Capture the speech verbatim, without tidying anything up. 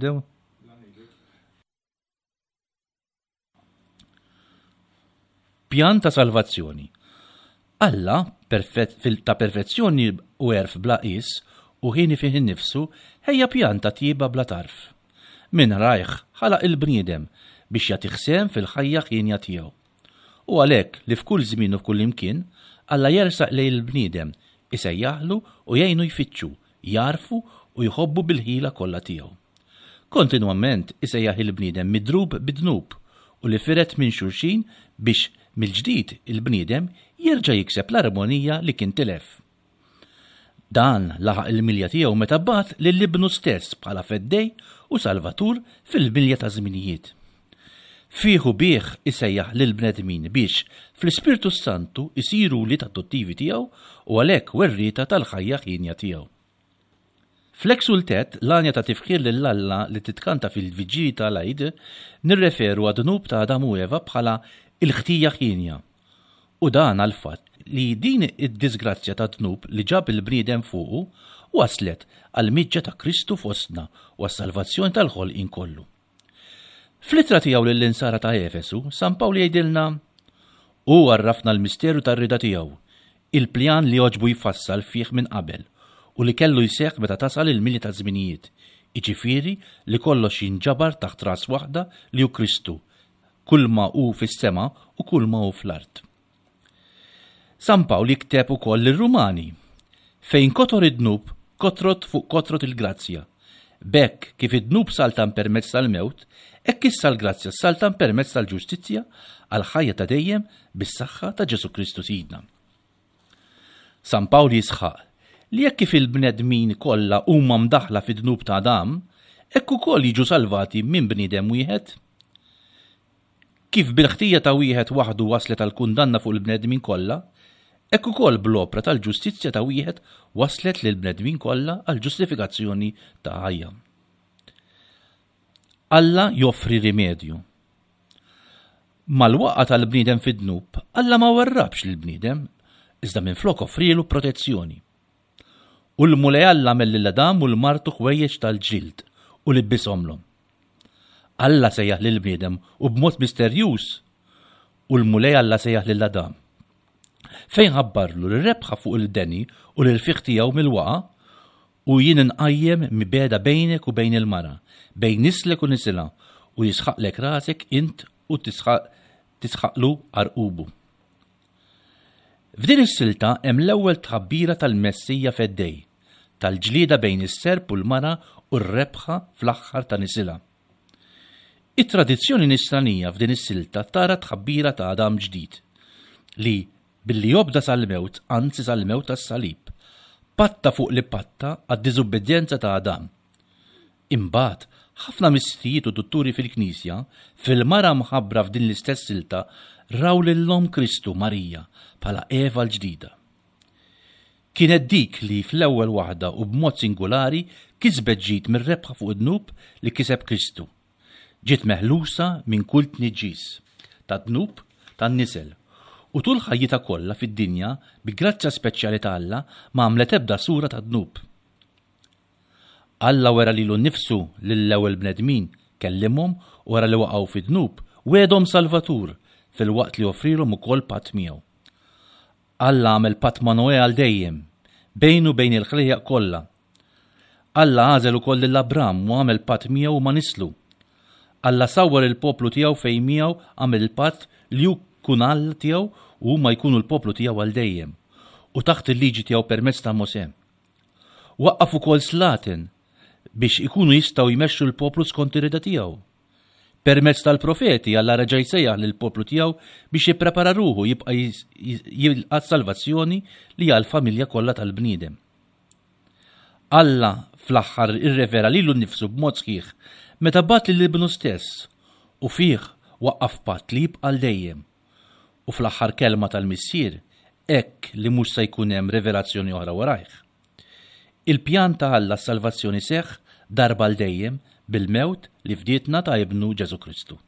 Nibdew? Pjan ta' salvazzjoni. Alla, ta' perfezzjoni u għerf bla qies u ħieni fih innifsu, ħejja pjan ta' tjieba bla tarf. Minn rajh ħalaq il-bniedem biex jagħtih sehem fil-ħajja ħienja tiegħu. U għalhekk li f'kull żmien u f'kull imkien, Alla jersaq lejn il-bniedem, isejjaħlu u jgħinu jfittxu, jagħrfu u jħobbu bil-ħila kollha tiegħu. Kontinwament isejjaħ il-bniedem midrub bid-dnub u li firet minn xulxin biex mill-ġdid il-bniedem jerġa' jikseb l-armonija li kien tilef. Dan laħaq il-milja tiegħu meta bagħat lil Ibnu stess bħala Feddej u Salvatur fil-milja taż-żminijiet. Fih u bih isejjaħ lill-bnedmin biex fl-Ispirtu s-Santu jsiru wlied adottivi tiegħu u għalhekk werrieta tal-ħajja hienja tiegħu. Fl-Exultet, l-għanja ta' tifħir lil Alla li titkanta fil-Viġġili ta' l-Għid, nirreferu għad-dnub ta' Adam u Eva bħala l-ħtija hienja. U dan għall-fatt li din id-diżgrazzja tad-dnub li ġab il-bniedem fuqu wasslet għall-miġja ta' Kristu fostna u għas-salvazzjoni tal-ħolqien kollu. Fl-ittra tiegħu lill-Insara ta' Efesu, San Pawl jgħidilna, Hu għarrafna l-misteru tar-rieda tiegħu, il-pjan li għoġbu jfassal fih minn qabel u li kellu jseħħ meta tasal il-milja taż-żminijiet, jiġifieri li kollox jinġabar taħt ras waħda li hu Kristu, kulma hu fis-sema u kulma hu fl-art. San Pawl jikteb ukoll lir-Rumani, Fejn kotor id-dnub, kotrot fuq kotrot il-grazzja. B'hekk, kif id-dnub saltan permezz tal-mewt, hekk issa l-grazzja ssaltan permezz tal-ġustizzja għall-ħajja ta' dejjem bis-saħħa ta' Ġesù Kristu Sidna. San Pawl jisħaq li hekk kif il-bnedmin kollha huma mdaħħla fid-dnub ta' Adam, hekk ukoll jiġu salvati minn bniedem wieħed. Kif bil-ħtija ta' wieħed waħdu waslet għall-kundanna fuq il-bnedmin kollha, hekk ukoll bl-opra tal-ġustizzja ta' wieħed wasslet lill-bnedmin kollha għall-ġustifikazzjoni ta' ħajja. Alla joffri rimedju. Mal-waqgħa tal-bniedem fid-dnub, Alla ma warrabx lill-bniedem, iżda minflok offrielu protezzjoni. U l-Mulej Alla għamel lil Adam u 'l martu ħwejjeġ tal-ġild u libbishomlhom. Alla sejjaħ lill-bniedem u b'mod misterjuż u l-Mulej Alla sejjaħ lil Adam. Fejn ħabbarlu li r-rebħa fuq il-deni u l-irfigħ tiegħu mill-waqgħa, u jien inqajjem mibegħda bejnek u bejn il-mara, bejn nislek u nisilha, u jisħaqlek rasek int u tisħaqlu għarqubu. F'din is-silta hemm l-ewwel tħabbira tal-Messija Feddej, tal-ġlieda bejn is-serp u l-mara u r-rebħa fl-aħħar ta' nisilha. It-tradizzjoni Nisranija f'din is-silta tara t-tħabbira ta' Adam ġdid, li, billi obda sal-mewt, anzi sal-mewt tas-salib, patta fuq li patta għad-diżubbidjenza ta' Adam. Imbagħad, ħafna missirijiet u dutturi fil-Knisja, fil-mara mħabbra f'din l-istess silta, raw lil Omm Kristu, Marija, bħala Eva l-ġdida. Kienet dik li fl-ewwel waħda u b'mod singulari kisbet ġid mir-rebħa fuq id-dnub li kiseb Kristu. Ġiet meħlusa minn kull tniġġis tad-dnub tan-nisel, u tul ħajjitha kollha fid-dinja bi grazzja speċjali ta' Alla ma għamlet ebda sura ta' dnub. Alla wera lilu nnifsu lill-ewwel bnedmin, kellimhom u wara li waqgħu fid-dnub, wegħedhom Salvatur filwaqt li offrielhom ukoll patt miegħu. Alla għamel patt ma' Noè għal dejjem, bejnu u bejn il-ħlejjaq kollha. Alla għażel ukoll lil Abram u għamel patt miegħu u ma' nislu. Alla sawwar il-poplu tiegħu fejn miegħu għamel il-patt li hu jkun Alla tiegħu u huma jkunu l-poplu tiegħu għal dejjem, u taħt il-liġi tiegħu permezz ta' Mosè. Waqqaf ukoll slaten biex ikunu jistgħu jmexxu l-poplu skont ir-rieda tiegħu. Permezz tal-profeti Alla reġa' jsejjaħ lill-poplu tiegħu biex jipprepara ruħu jibqa' jilqa' s-salvazzjoni li hi għall-familja kollha tal-bniedem. Alla fl-aħħar irrevela lilu nnifsu b'mod sħiħ meta bagħat lil Ibnu stess u fih waqqaf patt li jibqa' għal dejjem. U fl-aħħar kelma tal-Missier, hekk li mhux se jkun hemm rivelazzjoni oħra warajh. Il-pjan ta' Alla għas-salvazzjoni seħħ darba għal dejjem bil-mewt li fdietna ta' Ibnu Ġesù Kristu.